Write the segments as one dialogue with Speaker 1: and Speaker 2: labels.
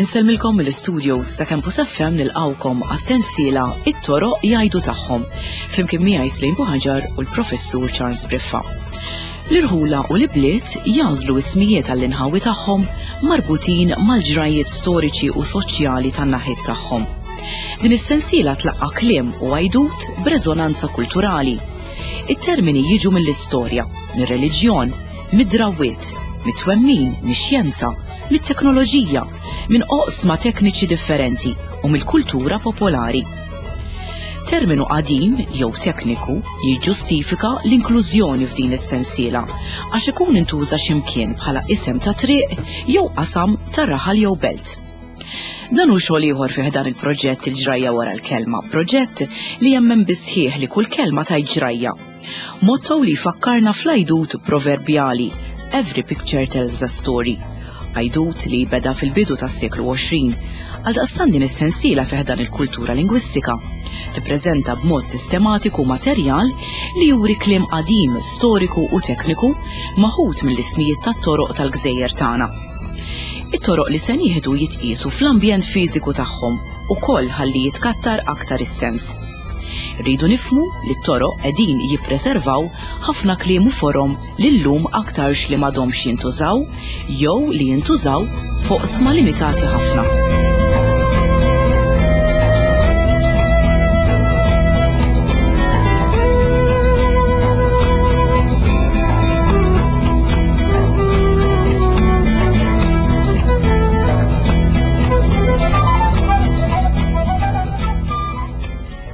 Speaker 1: Insellmilkom mill-studios ta' Campus FM nilqawkom għas-sensiela It-toroq jgħidu tagħhom flimkien miegħi Slim Buħaġar u l-Professur Charles Briffa. L-irħula u l-ibliet jagħżlu ismijiet għall-inħawi tagħhom marbutin mal-ġrajjiet storiċi u soċjali tan-naħiet tagħhom. Din is-sensiela tlaqqa' kliem u għajdut b'reżonanza kulturali. It-termini jiġu mill-istorja, mir-reliġjon, mid-drawwiet, mit-twemmin, mix-xjenza, mit-teknoloġija, minn oqsma tekniċi differenti u mill-kultura popolari. Terminu qadim jew tekniku jiġġustifika l-inklużjoni f'din is-sensiela għax ikun intuża x'imkien bħala isem ta' triq jew qasam ta' raħal jew belt. Dan hu xogħol ieħor fih dan il-proġett il-ġrajja wara l-kelma, proġett li jemmen bisħieħ li kull kelma tgħid ġrajja. Motto li jfakkarna fl-għajdut proverbjali Every picture tells a story. Għajdut li beda fil-bidu tas-seklu 20. Għaldaqstant din is-sensiela fih dan il-kultura lingwistika tippreżenta b'mod sistematiku materjal li juri kliem qadim, storiku u tekniku maħud mill-ismijiet tat-toroq tal-gżejjer tagħna. It-toroq li se nieħdu jitqiesu fl-ambjent fiżiku tagħhom ukoll ħalli jitkattar aktar is-sens. Irridu nifhmu li t-toroq qegħdin jippreservaw ħafna kliem u forom li llum aktarx li m'għadhomx jintużaw jew li jintużaw f'oqsma limitati ħafna.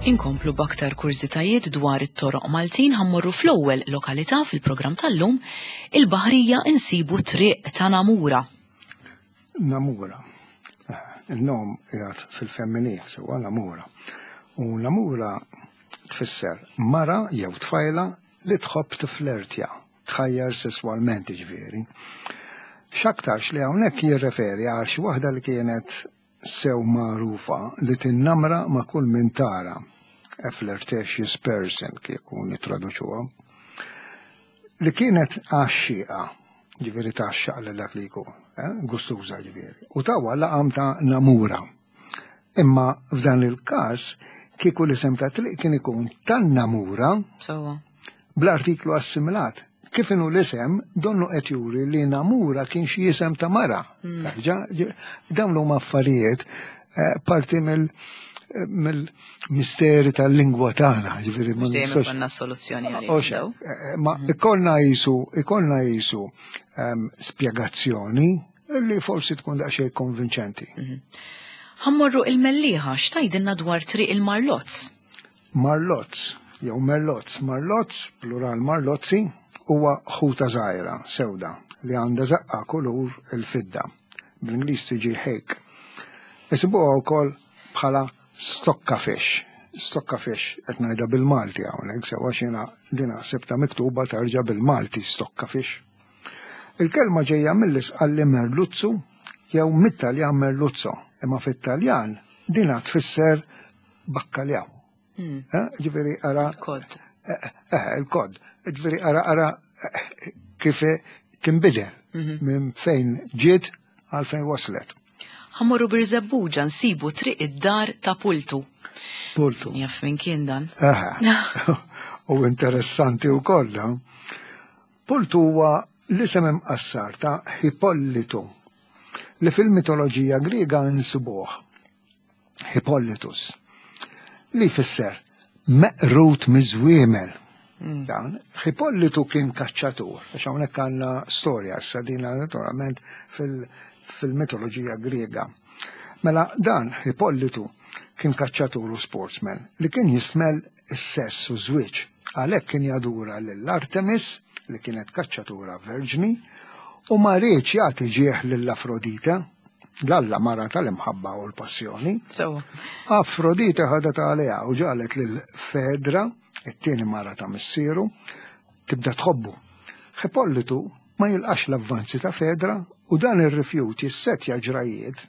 Speaker 1: Inkomplu b'aktar kurżitajiet dwar it-toroq Maltin ħammorru fl-ewwel lokalità fil-programm tal-lum, il-Baħrija insibu triq ta' Namura.
Speaker 2: Namura. Il-nom qiegħed fil-femminil sewwa Namura. U Namura tfisser mara jew tfajla li tħobb tiflertja, tħajjar sesswalment jiġifieri. X'aktarx li hawnhekk jirreferi għal xi waħda li kienet sew magħrufa li tinnamra ma' kull min tara, a flirtatious person kieku nittraduċuha, li kienet għaxxieqa, ġifieri tgħaxxaq lil dak li jkun, eh, gustuża ġifieri, u tawha laqam ta' Namura. Imma f'dan il-każ kieku l-isem ta' triq kien ikun tan-Namura bl-artiklu assimilat. Kif inhu l-isem, donnu qed juri li Namura kien xi isem ta' mara. Hmm. Dawn huma affarijiet eh, parti mill mill-misteri tal-lingwa tagħna,
Speaker 1: ġifieri ma nistax. Ikollna soluzzjoni għalih.
Speaker 2: Eh, eh, ma mhm. ikollna jisu, ikollna jisu ehm, spjegazzjoni li forsi tkun daqsxejn konvinċenti.
Speaker 1: Mhm. Ħammorru il-Mellieħa x'tgħidilna dwar triq il-Marlozz?
Speaker 2: Marlozz jew Merlozz, Marlozz, plural Marlozzi, huwa ħuta żgħira, sewda, li għandha żaqqa kulur il-fidda. Bl-Ingliż tiġi hake. Isibuha wkoll bħala stokka fish. Stokka fish qed ngħidha bil-Malti hawnhekk sewa x'jiena dina sibta miktuba tarġa' bil-Malti stokka fish. Il-kelma ġejja mill-Isqalli merluzzu jew mit-Taljan merluzzo, imma fit-Taljan dina tfisser bakkaljaw. Hmm. Eh, ġifieri ara.
Speaker 1: Il-kod.
Speaker 2: Eh, eh, il-kod. Ġifieri ara ara kif tinbidel mhm. minn fejn ġiet għal fejn waslet.
Speaker 1: Ħammorru Birżebbuġa nsibu triq id-dar ta' Pultu.
Speaker 2: Pultu.
Speaker 1: Jaf minn kien dan.
Speaker 2: U interessanti u koll. Pultu huwa l-isem imqassar ta' Hippolitu li fil-mitoloġija Griega nsibuh Hippolytus, li jfisser meqrut miż-żwiemel. Mm. Dan, Hippolitu kien kaċċatur, għax hawnhekk għandna storja issa dina naturalment fil-mitoloġija Griega. Mela dan Hippolitu kien kaċċatur u sportsman li kien jismel is-sess u żwieġ. Għalhekk kien jadura lil Artemis li kienet kaċċatura verġni u ma riedx jagħti ġieħ lil Afrodite L-alla mara tal-imħabba u l-passjoni.
Speaker 1: Sewa.
Speaker 2: Afrodite ħadet għaliha u ġalet lil Fedra, it-tieni mara ta' missieru, tibda tħobbu. Ħipollitu ma jilqax l-avvanzi ta' Fedra u dan ir-rifjut jissetja ġrajiet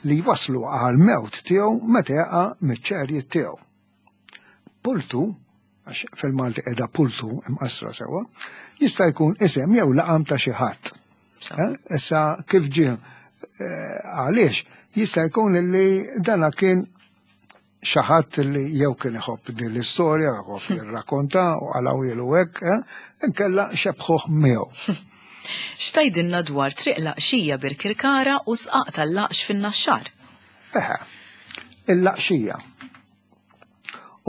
Speaker 2: li jwaslu għal mewt tiegħu meta jaqa' miċ-ċerjiet tiegħu. Pultu. għax fil-Malti qiegħda pultu imqassra sewwa, jista' jkun isem jew laqam ta' xi ħadd. Eh, issa kif ġie eh, għaliex jista' jkun li dana kien xi ħadd li jew kien iħobb din l-istorja, iħobb jirrakkonta u għalaw hekk, eh, inkella xebħuh miegħu.
Speaker 1: X'tgħidilna dwar triq laqxija Birkirkara u sqaq tal-laqx fin-Naxxar?
Speaker 2: Eħe, il-laqxija.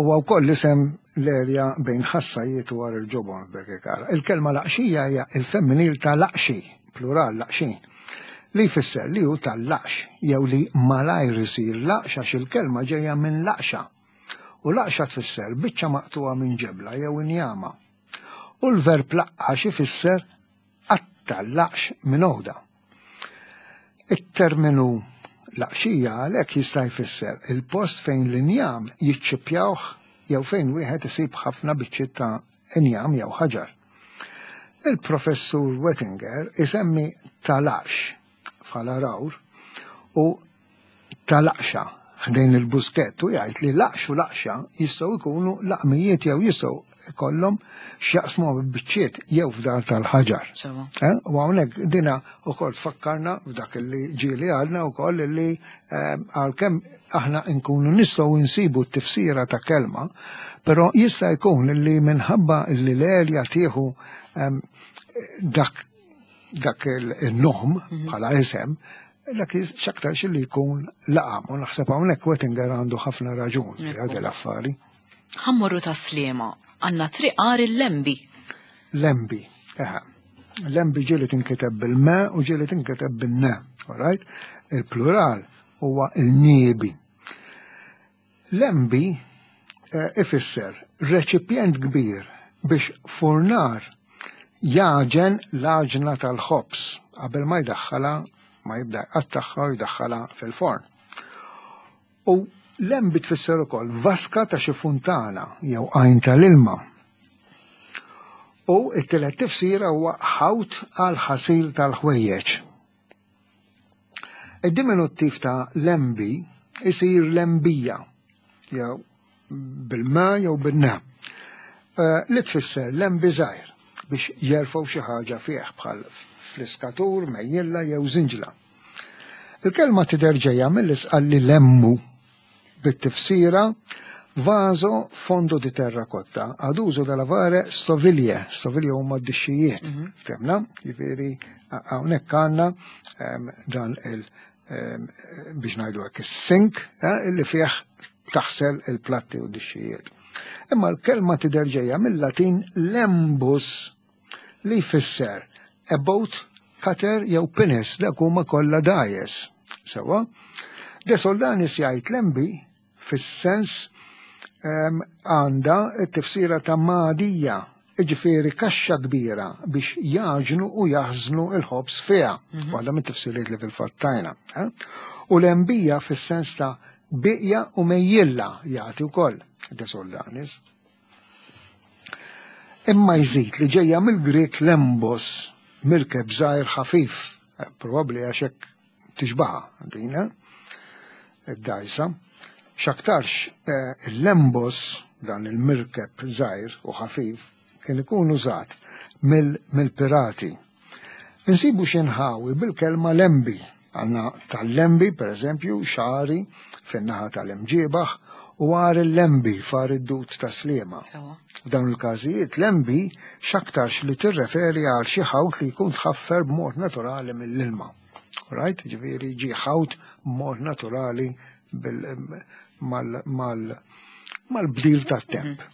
Speaker 2: Huwa wkoll isem l-erja bejn Ħassajiet u Għar il-Ġobon f'Birkirkara. Il-kelma laqxija hija il-femminil ta' laqxi, plural laqxin, li jfisser li hu tal-laqx jew li malajr isir laqx għax il-kelma ġejja minn laqxa. U laqxa tfisser biċċa maqtugħa minn ġebla jew injama. U l-verb laqqax ifisser qatta' l-laqx minn għoda. It-terminu laqxija għalhekk jista' jfisser il-post fejn l-injam jiċċippjawh jew fejn wieħed isib ħafna biċċiet ta' injam jew ħaġar. Il-Professur Wettinger isemmi talaqx bħala rawr u ta' laqxa ħdejn il-buskett u jgħid li laqx u laqxa jistgħu jkunu laqmijiet jew jistgħu jkollhom x'jaqsmu biċċiet jew f'dar tal-ħaġar. Eh? U hawnhekk dina wkoll tfakkarna f'dak li ġieli għadna wkoll li eh, għalkemm aħna nkunu nistgħu nsibu t-tifsira ta' kelma, però jista' jkun li minħabba li l-erja tieħu ehm, dak dak il-nom mhm. bħala isem, dak xaktarx li jkun laqam. U naħseb hawnhekk Wettinger għandu ħafna raġun fi għad l-affari.
Speaker 1: Ħammorru ta' Sliema, għandna triq għar il-Lembi.
Speaker 2: Lembi, eħe. Lembi ġieli tinkiteb bil-me u ġieli tinkiteb bil-ne, all right? Il-plural huwa il-niebi. Lembi eh, ifisser reċipjent kbir biex furnar jaġen l-għaġna tal-ħobż qabel ma jdaħħala ma jibda jqattagħha u jdaħħala fil-forn. U lembi tfisser ukoll vaska ta' xi funtana jew għajn tal-ilma. U t-tielet tifsira huwa ħawt għal ħasil tal-ħwejjeġ. Id-diminuttiv ta' lembi isir lembija, jew bil-ma jew bin-na, eh, li tfisser lembi żgħir biex jerfgħu xi ħaġa fih bħal fliskatur, mejjilla jew żinġla. Il-kelma tidher ġejja mill-isqalli lemmu bit-tifsira vaso fondo di terracotta ad uso da lavare stoviglie, stoviglie huma d-dixxijiet, mhm. ftemna, jiġifieri hawnhekk għandna ehm, dan il ehm, biex ngħidu hekk is-sink eh, illi fih taħsel il-platti u d-dixxijiet. Imma l-kelma tidher ġejja mill-Latin lembus li jfisser a boat, cutter jew pinnes, dak huma kollha dgħajjes. Sewwa? De Soldanis jgħid lembi fis-sens ehm, għandha t-tifsira ta' magħdija, jiġifieri kaxxa kbira biex jaġnu u jaħżnu il-ħobż fiha. Mhm. Waħda mit-tifsiriet li fil-fatt tajna. Eh? U l-embija fis-sens ta' biqja u mejjilla jagħti wkoll De Soldanis. Imma jżid li ġejja mill-Grieg lembos, mirkeb żgħir ħafif, eh, probabbli għax hekk tixbaha din, eh, id-dgħajsa. X'aktarx eh, il-lembos, dan il-mirkeb żgħir u ħafif, kien ikun użat mill-pirati. Insibu xi nħawi bil-kelma lembi. Għandna tal-lembi, per eżempju, xagħri fin-naħa tal-Imġiebaħ u għar il-lembi far id-dud ta' Sliema. F'dawn il-każijiet lembi x'aktarx li tirreferi għal xi ħawt li jkun tħaffer b'mod naturali mill-ilma. Right? Ġifieri ġie ħawt b'mod naturali mal-bdil tat-temp. Mhm.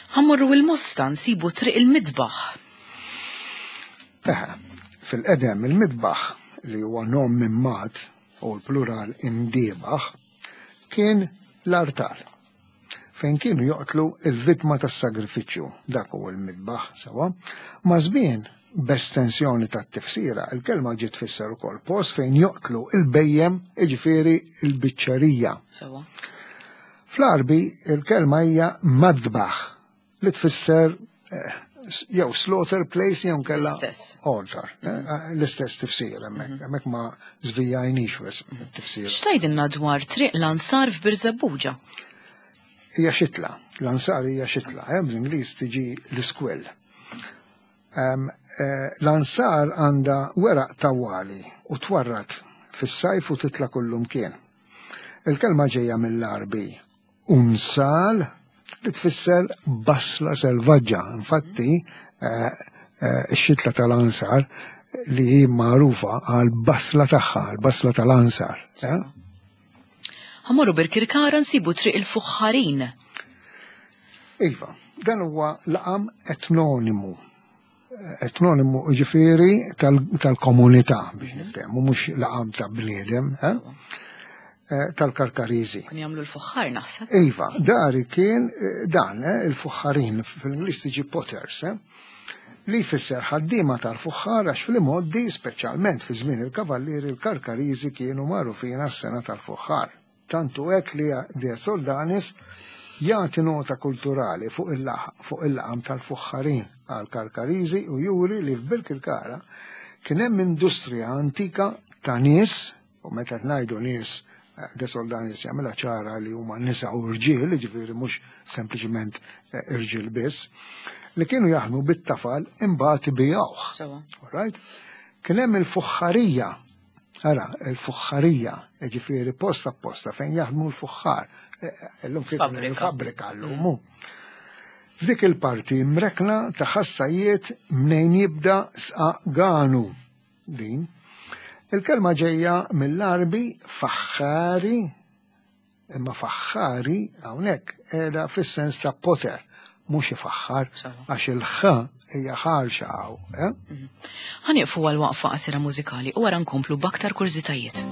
Speaker 1: Ħammorru il-Mosta nsibu triq il-midbaħ.
Speaker 2: Eħe, fil-qedem il-midbaħ li huwa nom minn mat u l-plural imdiebaħ kien l-artal fejn kienu joqtlu il-vittma tas-sagrifiċċju, dak hu l-midbaħ sewa. Ma' żmien b'estensjoni tat-tifsira, il-kelma ġiet tfisser ukoll post fejn joqtlu il-bejjem, jiġifieri l-biċċerija.
Speaker 1: Sewa.
Speaker 2: Fl-Għarbi il-kelma hija madbaħ li tfisser eh, jew slaughter place jew kella altar. Eh, eh, l-istess tifsir hemmhekk, mhm. hemmhekk ma żvijajniex wis tifsir.
Speaker 1: X'tgħidilna dwar triq l-Ansar f'Birżebbuġa?
Speaker 2: Hija xitla, l-ansar hija xitla, eh, bl-Ingliż tiġi l-iskwell. Eh, l-ansar għandha weraq tawwali u twarrad fis-sajf u titla kullum kien. Il-kelma ġejja mill-Arbi unsal li tfisser basla selvaġġa. Infatti, eh, eh, ix-xitla tal-ansar li hi magħrufa għal basla tagħha, għal basla tal-ansar. Eh?
Speaker 1: Ħamorru Birkirkara nsibu triq il-Fuħħarin.
Speaker 2: Iva, dan huwa laqam etnonimu. Etnonimu ġifieri tal-komunità biex niftehmu, mhux laqam ta' bniedem, eh? Eh, tal-Karkariżi.
Speaker 1: Kien jagħmlu l-fuħħar naħseb.
Speaker 2: Iva, dari kien eh, dan il-fuħħarin fil-Ingliż tiġi potters, li jfisser ħaddiema tal-fuħħar għax fl-imgħoddi, speċjalment fi żmien il-Kavallieri, il-Karkariżi kienu magħrufin għas-sengħa tal-fuħħar. Tant hu hekk li De Soldanis jagħti nota kulturali fuq il-laqam tal-fuħħarin għall-Karkariżi u juri li f'Birkirkara kien hemm industrija antika ta' nies, u meta qed ngħidu nies, De Soldanis jagħmilha ċara li huma nisa u rġiel, jiġifieri mhux sempliċiment eh, irġiel biss, li kienu jaħdmu bit-tafal imbagħad ibigħuh. All right? Kien hemm il-fuħħarija Ara, il-fuħħarija, ġifieri post apposta fejn jaħdmu l-fuħħar. E, e, illum kif fabbrika llum. Mm. F'dik il-parti mrekna ta' ħassajiet mnejn jibda sqaganu din. Il-kelma ġejja mill-Arbi faħħari Imma faħħari hawnhekk qiegħda fis-sens ta' poter, mhux ifaħħar, għax il-ħ hija ħarxa hawn. Eh? Mhm.
Speaker 1: Ħanieqfu għal waqfa qasira mużikali u wara nkomplu b'aktar kurżitajiet.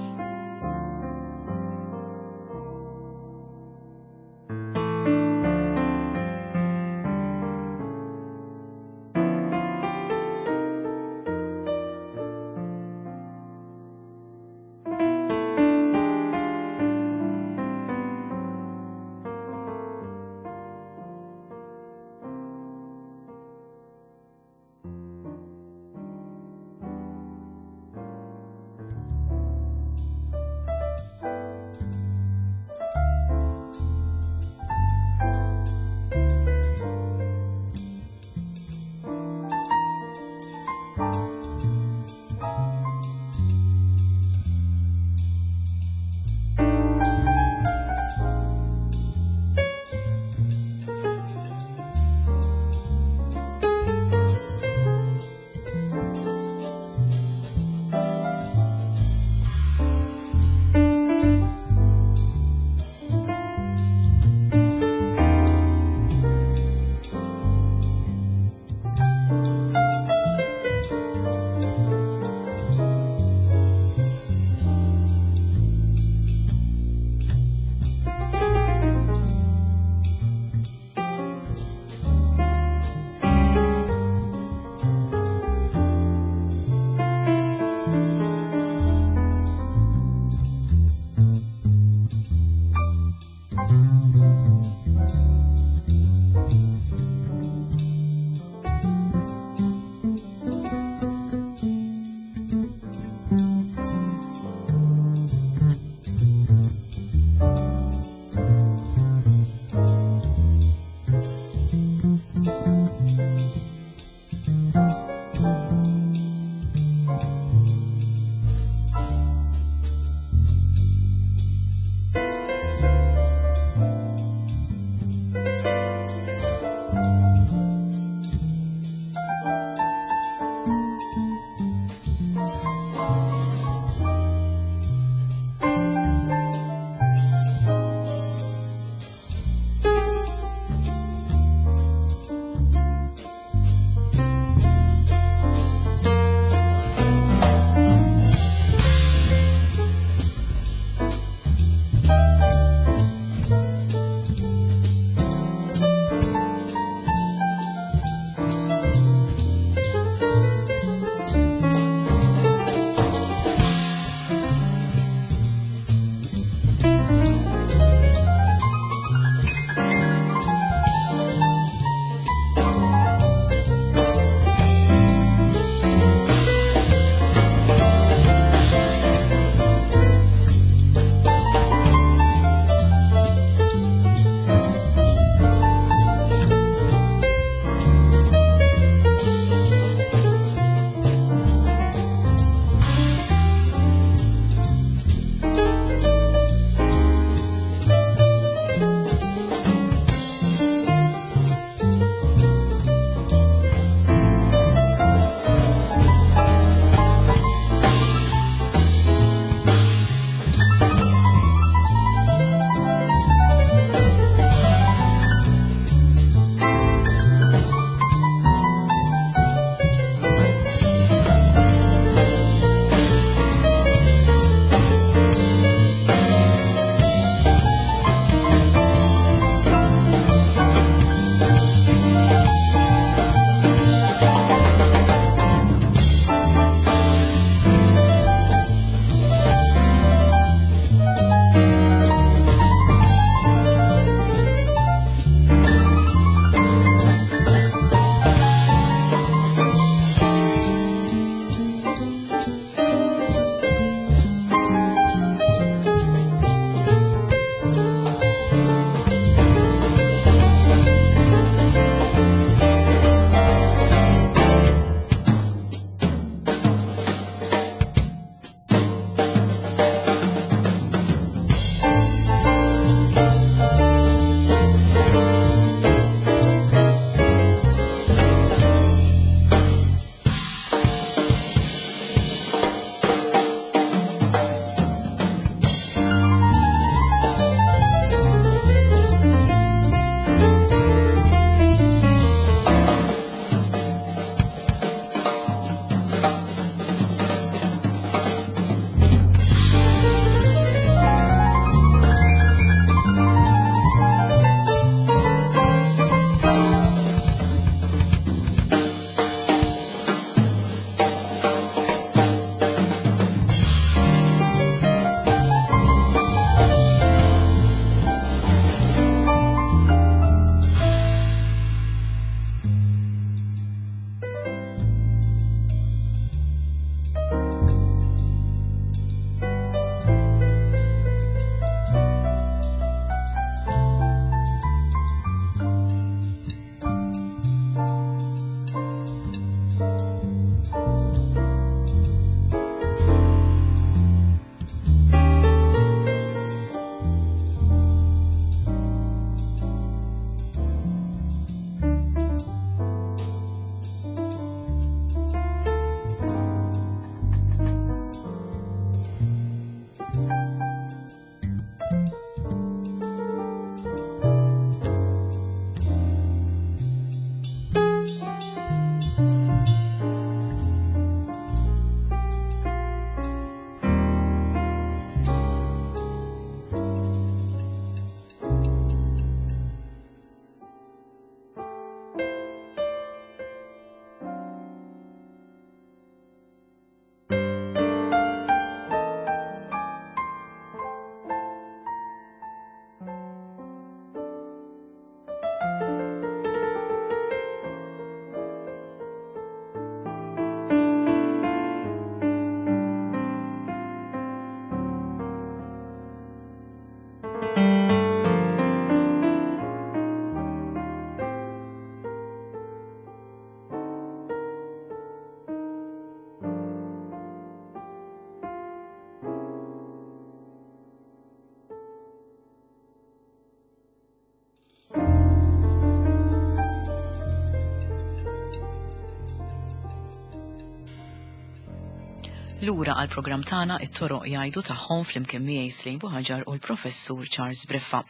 Speaker 1: Lura għal programm tagħna it-toroq jgħidu tagħhom flimkien miegħi Slim Buħaġar u l-Professur Charles Briffa.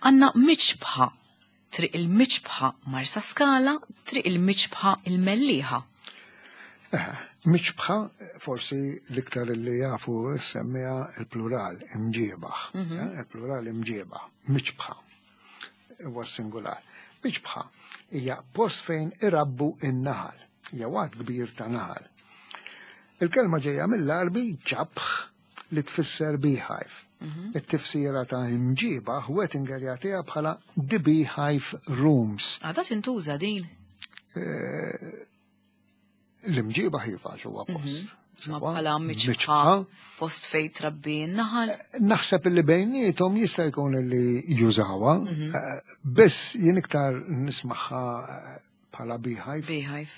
Speaker 1: Għandna miċbħa, triq il-miċbħa Marsa Skala, triq il-miċbħa il-Mellieħa.
Speaker 2: Eh, miċbħa forsi l-iktar li jafu semmija il-plural imġiebaħ. Eh, il-plural imġiebaħ, miċbħa. Huwa singular. Miċbħa hija post fejn irabbu in-naħal, jew għad kbir ta' naħal. Il-kelma ġejja mill-Għarbi ġabħ li tfisser beehive. It-tifsira ta' imġiebaħ Wettinger jagħtiha bħala the beehive rooms.
Speaker 1: Għadha tintuża din?
Speaker 2: L-imġiebaħ iva huwa post.
Speaker 1: Ma bħala miċbħa, post fejn trabbi n-naħal.
Speaker 2: Naħseb li bejniethom jista' jkun li jużawha, biss jien iktar nismaħħa bħala beehive.
Speaker 1: Beehive.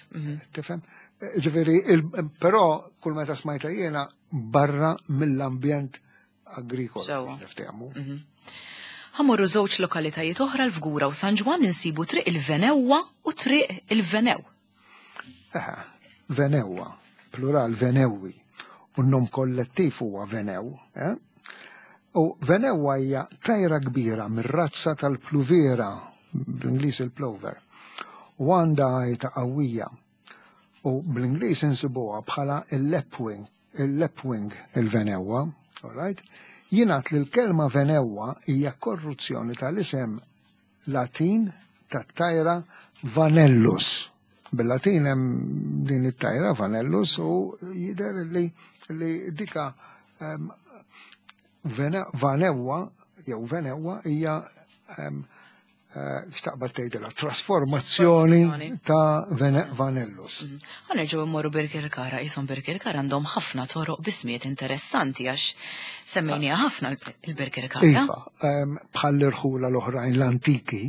Speaker 2: Tifhem? Ġifieri, però kull meta smajta jiena barra mill-ambjent agrikolu.
Speaker 1: Sewwa.
Speaker 2: Niftehmu.
Speaker 1: Ħa mmorru żewġ lokalitajiet oħra l-Fgura u San Ġwann insibu triq il-Venewwa u triq il-Venew.
Speaker 2: Eħe, Venewwa, plural Venewwi, u n-nom kollettiv huwa Venew. Eh? U Venewwa hija tajra kbira mir-razza tal-pluvera, bl-Ingliż il-plover, u għandha għajta qawwija. U bl-Ingliż insibuha bħala il-lapwing, il-lapwing il-Venewwa, all right? Jingħad li l-kelma Venewwa hija korruzzjoni tal-isem Latin tat-tajra Vanellus. Bil-Latin hemm din it-tajra Vanellus u jidher li, li dika Vanewwa jew Venewwa hija xtaqbad tgħidilha trasformazzjoni
Speaker 1: Trasformazzjoni.
Speaker 2: ta' Vanellus.
Speaker 1: Ħa nerġgħu mmorru Birkirkara, jisom Birkirkara għandhom ħafna toroq bismiet interessanti għax semmejniha ħafna il-Birkirkara.
Speaker 2: Iva, bħal l-irħula l-oħrajn l-antiki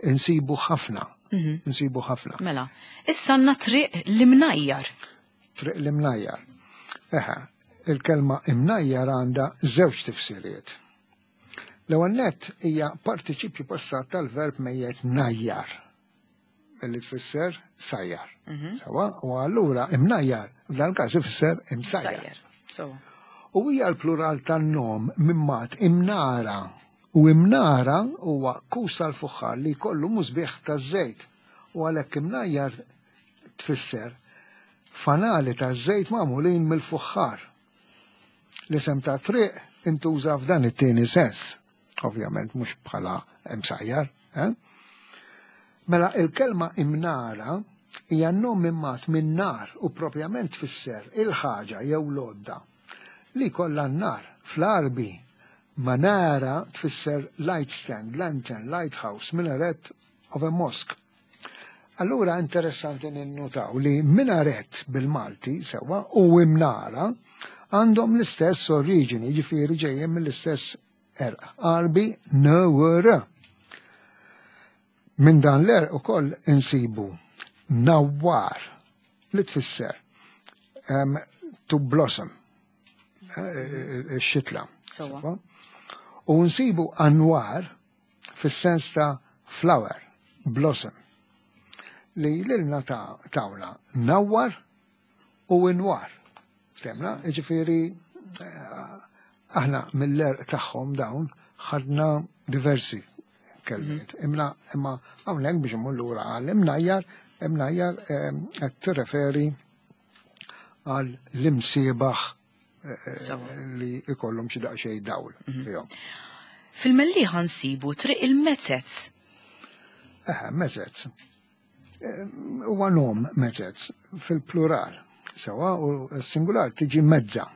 Speaker 2: insibu ħafna. Insibu ħafna.
Speaker 1: Mela, issa għandna triq l-Imnajjar.
Speaker 2: Triq l-Imnajjar. Eħe, il-kelma Imnajjar għandha żewġ tifsiriet. L-ewwel nett hija partiċipju passat tal-verb mejjet najjar, li tfisser sajjar. Sawa, u allura imnajjar f'dan każ ifisser imsajjar.
Speaker 1: Sajjar. Sawa.
Speaker 2: U hija l-plural tan-nom mimmat imnara. U imnara huwa kus tal-fuħħar li jkollu musbieħ taż-żejt. U għalhekk imnajjar tfisser fanali taż-żejt magħmulin mill-fuħħar. L-isem ta' triq intuża f'dan it-tieni sens, ovvjament mhux bħala imsajjar. Eh? Mela il-kelma imnara hija nom immat minn nar u propjament tfisser il-ħaġa jew l-għodda li kollha n-nar. Fl-Għarbi manara tfisser light stand, lantern, lighthouse, minaret of a mosque. Allura interessanti ninnutaw li minaret bil-Malti sewa u imnara għandhom l-istess oriġini, ġifieri ġejjin mill-istess erq, Għarbi n-r. Minn dan l-erq ukoll insibu nawwar li tfisser to blossom, xitla.
Speaker 1: Sewa.
Speaker 2: U nsibu anwar fis-sens ta' flower, blossom, li lilna ta' tawna nawwar u inwar. Temna, ġifieri, aħna mill-erq tagħhom dawn ħadna diversi kelmiet. Imma imma hawnhekk biex immur lura għal imnajjar, imnajjar qed tirreferi għal l-imsiebaħ li ikollhom xi daqsxejn dawl fihom.
Speaker 1: Fil-Mellieħa nsibu triq il-Mezzez.
Speaker 2: Eħe, Mezzez. Huwa nom Mezzez fil-plural. Sewa u s-singular tiġi mezza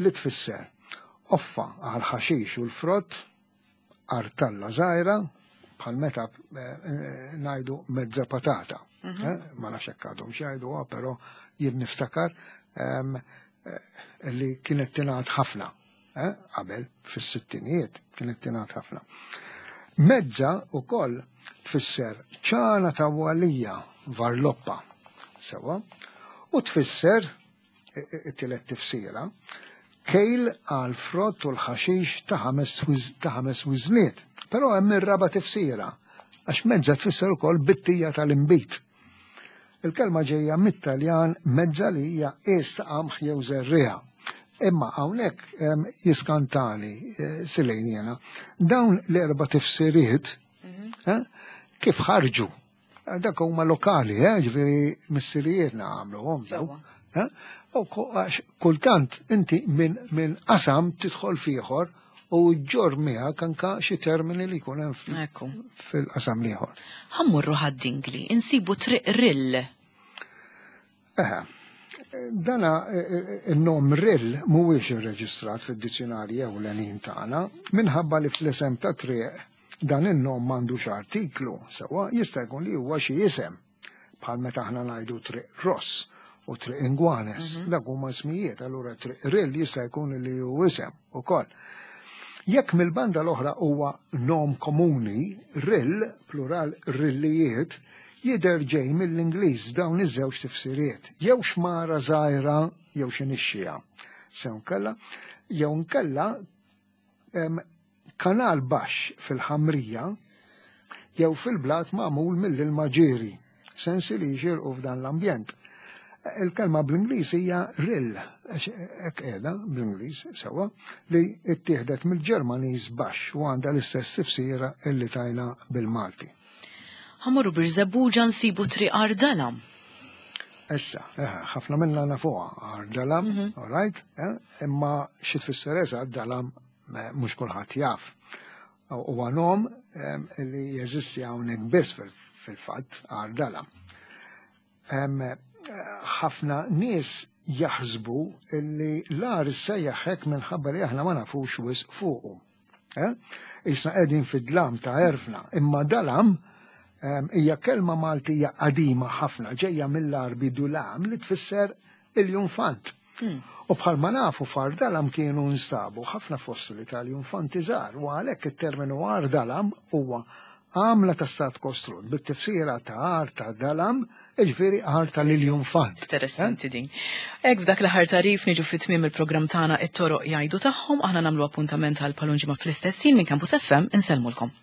Speaker 2: li tfisser offa għal ħaxix u l-frott, artalla żgħira, bħal meta ngħidu mezza patata. Ma nafx hekk għadhom x'jgħiduha, però jien niftakar li kienet tingħad ħafna qabel fis-sittinijiet kienet tingħad ħafna. Mezza wkoll tfisser ċana ta' walija varloppa, sewa, u tfisser it-tielet tifsira kejl għal frott u l-ħaxix ta' ħames wiżniet. Però hemm ir-raba tifsira, għax mezza tfisser ukoll bittija tal-inbid. Il-kelma ġejja mit-Taljan mezza li hija qies ta' qamħ jew żerriegħa. Imma hawnhekk jiskantani eh, silejn jiena. Dawn l-erba' tifsiriet mhm. eh, kif ħarġu? Eh, dak huma lokali, ġifieri missirijietna għamluhom daw. U kultant inti minn qasam tidħol fieħor u ġġorr miegħek anka xi termini li jkun hemm fil-qasam l-ieħor.
Speaker 1: Ħa mmorru Ħad-Dingli, insibu Triq Rill.
Speaker 2: Eħe, dana e, e, e, il-nom Rill mhuwiex irreġistrat fid-dizzjonarji ewlenin tagħna minħabba li fl-isem ta' triq dan in-nom m'għandux artiklu, sewwa jista' jkun li huwa xi isem. Bħal meta aħna ngħidu Triq Ross u Triq Ingwanes, mhm. dak huma ismijiet, allura Triq Rill jista' jkun li hu isem ukoll. Jekk mill-banda l-oħra huwa nom komuni, rill, plural rillijiet, jidher ġej mill-Ingliż dawn iż-żewġ tifsiriet, jew xmara żgħira jew xi nixxija. Sew nkella, jew nkella Kanal baxx fil-ħamrija jew fil-blat magħmul mill-ilma ġieri, sensi li jixirqu f'dan l-ambjent. Il-kelma bl-Ingliż hija rill, hekk qiegħda bl-Ingliż sewwa, li ttieħdet mill-Ġermaniż baxx u għandha l-istess tifsira illi tajna bil-Malti.
Speaker 1: Ħa mmorru Birżebbuġa nsibu Triq Għar Dalam.
Speaker 2: Issa, eh, ħafna minna nafuha Għar Dalam, mhm. all right, eh, imma xi tfisser eżatt dalam mhux kulħadd jaf. Huwa nom eh, li jeżisti hawnhekk biss fil-fatt Għar Dalam. Ħafna nies jaħsbu li l-għar issejjaħ hekk minħabba li aħna ma nafux wisq fuqu. Eh? Issa qegħdin fid-dlam ta' erfna, imma dalam ehm, hija kelma Maltija qadima ħafna ġejja mill-Arbi dulam li tfisser il-junfant. Hmm. U bħalma nafu f'Ardalam kienu nstabu ħafna fossili tal-junfanti żgħar u għalhekk it-terminu Ardalam huwa għamla ta' stat kostrut bit-tifsira ta' għar ta' dalam, jiġifieri għar tal-iljunfant.
Speaker 1: Interessanti eh? din. Hekk b'dak l-aħħar tarif niġu fi tmiem il-programm tagħna it-toroq jgħidu tagħhom, aħna nagħmlu appuntament għal palunġima fl-istess ħin minn Campus FM insellmulkom.